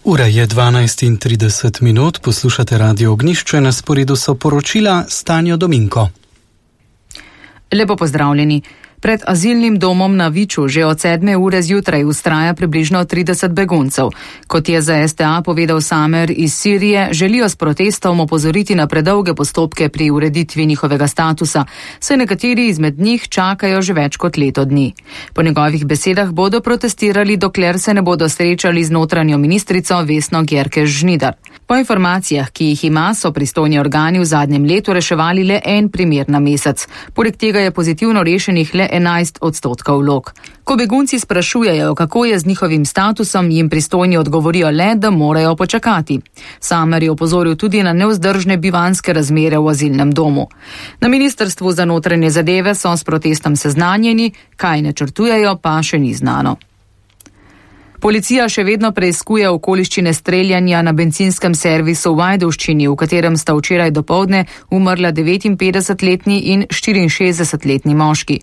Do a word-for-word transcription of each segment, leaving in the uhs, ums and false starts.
Ura je dvanajst in trideset minut, poslušate Radio Ognjišče, na sporedu so poročila Stanjo Dominko. Lepo pozdravljeni. Pred azilnim domom na Viču že od sedme ure zjutraj vztraja približno trideset beguncev. Kot je za S T A povedal Samer iz Sirije, želijo s protestom opozoriti na predolge postopke pri ureditvi njihovega statusa, saj nekateri izmed njih čakajo že več kot leto dni. Po njegovih besedah bodo protestirali, dokler se ne bodo srečali z notranjo ministrico Vesno Györkös-Žnidar. Po informacijah, ki jih ima, so pristojni organi v zadnjem letu reševali le en primer na mesec. Poleg tega je pozitivno rešenih le enajst odstotkov vlog. Ko begunci sprašujejo, kako je z njihovim statusom, jim pristojni odgovorijo le, da morajo počakati. Samer je opozoril tudi na nevzdržne bivanjske razmere v azilnem domu. Na Ministrstvu za notranje zadeve so s protestom seznanjeni, kaj načrtujejo, pa še ni znano. Policija še vedno preiskuje okoliščine streljanja na bencinskem servisu v Ajdovščini, v katerem sta včeraj dopoldne umrla devetinpetdesetletni in štiriinšestdesetletni moški.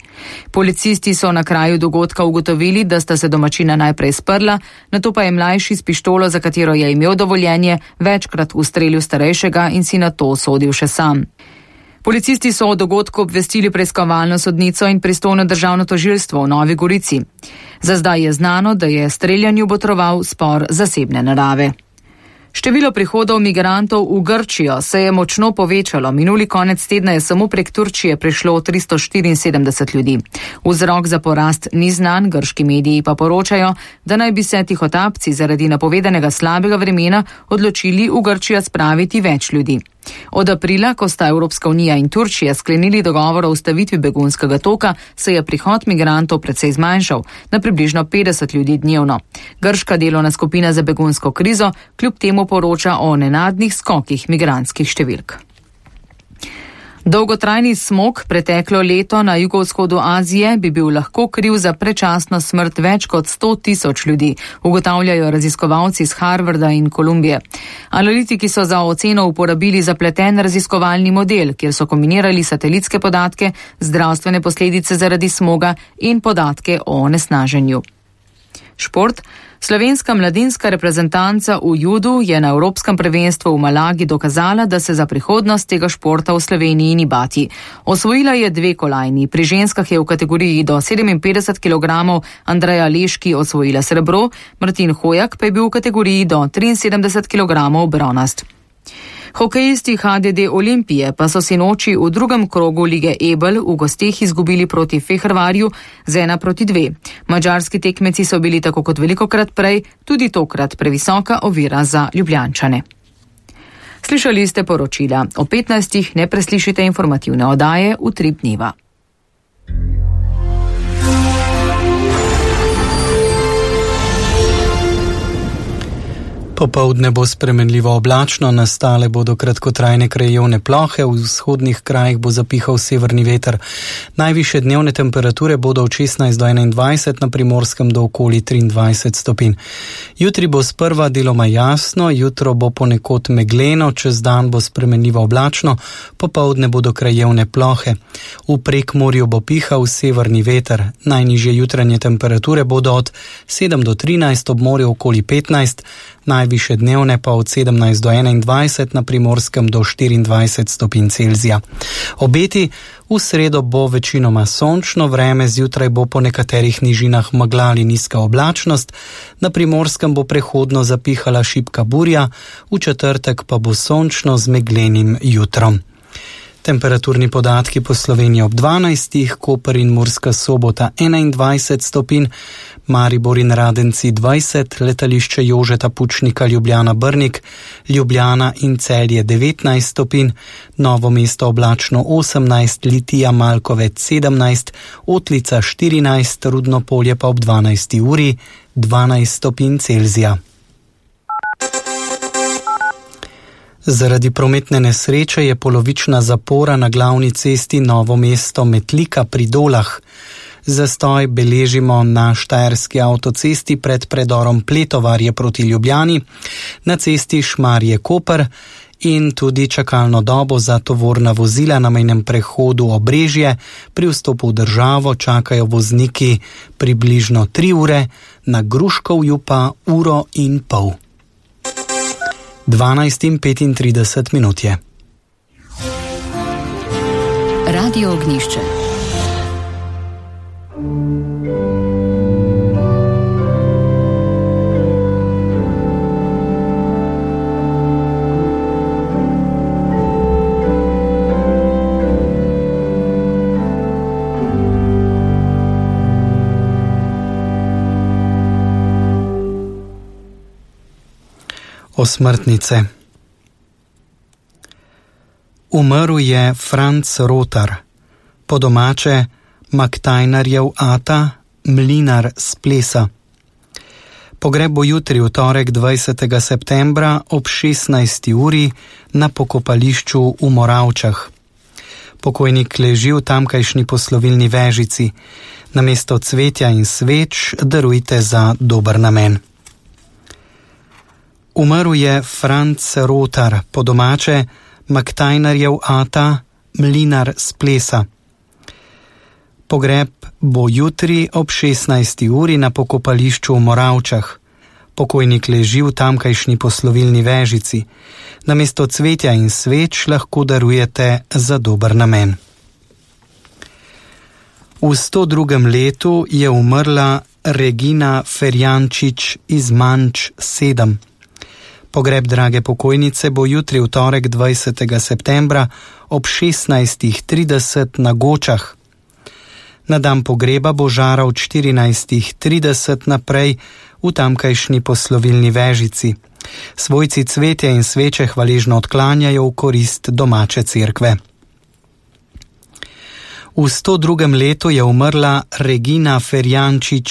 Policisti so na kraju dogodka ugotovili, da sta se domačina najprej sprla, nato pa je mlajši s pištolo, za katero je imel dovoljenje, večkrat ustrelil starejšega in si nato sodil še sam. Policisti so o dogodku obvestili preiskovalno sodnico in pristojno državno tožilstvo v Novi Gorici. Za zdaj je znano, da je streljanju botroval spor zasebne narave. Število prihodov migrantov v Grčijo se je močno povečalo. Minuli konec tedna je samo prek Turčije prišlo tristo štiriinsedemdeset ljudi. Vzrok za porast ni znan, grški mediji pa poročajo, da naj bi se tihotapci zaradi napovedanega slabega vremena odločili v Grčijo spraviti več ljudi. Od aprila, ko sta Evropska unija in Turčija sklenili dogovor o ustavitvi begunskega toka, se je prihod migrantov precej zmanjšal, na približno petdeset ljudi dnevno. Grška delovna skupina za begunsko krizo kljub temu poroča o nenadnih skokih migrantskih številk. Dolgotrajni smog preteklo leto na jugovzhodu Azije bi bil lahko kriv za predčasno smrt več kot sto tisoč ljudi, ugotavljajo raziskovalci iz Harvarda in Kolumbije. Analitiki so za oceno uporabili zapleten raziskovalni model, kjer so kombinirali satelitske podatke, zdravstvene posledice zaradi smoga in podatke o onesnaženju. Šport. Slovenska mladinska reprezentanca v judu je na Evropskem prvenstvu v Malagi dokazala, da se za prihodnost tega športa v Sloveniji ni bati. Osvojila je dve kolajni. Pri ženskah je v kategoriji do sedeminpetdeset kilogramov Andreja Leški osvojila srebro, Martin Hojak pa je bil v kategoriji do triinsedemdeset kilogramov bronast. Hokejisti H D D Olimpije pa so sinoči v drugem krogu lige Ebel v gosteh izgubili proti Fehervarju z ena proti dve. Madžarski tekmeci so bili tako kot velikokrat prej tudi tokrat previsoka ovira za Ljubljančane. Slišali ste poročila. O petnajstih ne preslišite informativne oddaje v tri dneva. Popoldne bo spremenljivo oblačno, nastale bodo kratkotrajne krajevne plohe, v vzhodnih krajih bo zapihal severni veter. Najvišje dnevne temperature bodo od šestnajst do enaindvajset, na Primorskem do okoli triindvajset stopinj. Jutri bo sprva deloma jasno, jutro bo ponekod megleno, čez dan bo spremenljivo oblačno, popoldne bodo krajevne plohe. V Prekmorju bo pihal severni veter. Najnižje jutranje temperature bodo od sedem do trinajst, ob morju okoli petnajst, najviše dnevne pa od sedemnajst do enaindvajset, na Primorskem do štiriindvajset stopinj Celzija. Obeti: v sredo bo večinoma sončno vreme, zjutraj bo po nekaterih nižinah megla ali nizka oblačnost, na Primorskem bo prehodno zapihala šibka burja, v četrtek pa bo sončno z meglenim jutrom. Temperaturni podatki po Sloveniji ob dvanajstih, Koper in Murska Sobota enaindvajset stopinj, Maribor in Radenci dvajset, letališče Jožeta Pučnika Ljubljana Brnik, Ljubljana in Celje devetnajst stopinj, Novo mesto oblačno osemnajst, Litija Malkovec sedemnajst, Otlica štirinajst, Rudno Polje pa ob dvanajsti uri dvanajst stopinj Celzija. Zaradi prometne nesreče je polovična zapora na glavni cesti Novo mesto Metlika pri Dolah. Zastoj beležimo na štajerski avtocesti pred predorom Pletovarje proti Ljubljani, na cesti Šmarje-Koper in tudi čakalno dobo za tovorna vozila na mejnem prehodu Obrežje. Pri vstopu v državo čakajo vozniki približno tri ure, na Gruškovju pa uro in pol. dvanajst in petintrideset minut je. Radio Ognjišče. Osmrtnice. Umrl je Franc Rotar, po domače Maktajnarjev ata, mlinar s plesa. Pogreb bo jutri, v torek dvajsetega septembra ob šestnajsti uri na pokopališču v Moravčah. Pokojnik leži v tamkajšnji poslovilni vežici. Namesto cvetja in sveč darujte za dober namen. Umrl je Franc Rotar, po domače Maktajnarjev ata, mlinar s plesa. Pogreb bo jutri ob šestnajsti uri na pokopališču v Moravčah. Pokojnik leži v tamkajšnji poslovilni vežici. Namesto cvetja in sveč lahko darujete za dober namen. V sto drugem letu je umrla Regina Ferjančič iz Manč sedem. Pogreb drage pokojnice bo jutri v torek dvajsetega septembra ob šestnajstih trideset na Gočah. Na dan pogreba bo žara od štirinajstih trideset naprej v tamkajšnji poslovilni vežici. Svojci cvetje in sveče hvaležno odklanjajo v korist domače cerkve. V sto drugem letu je umrla Regina Ferjančič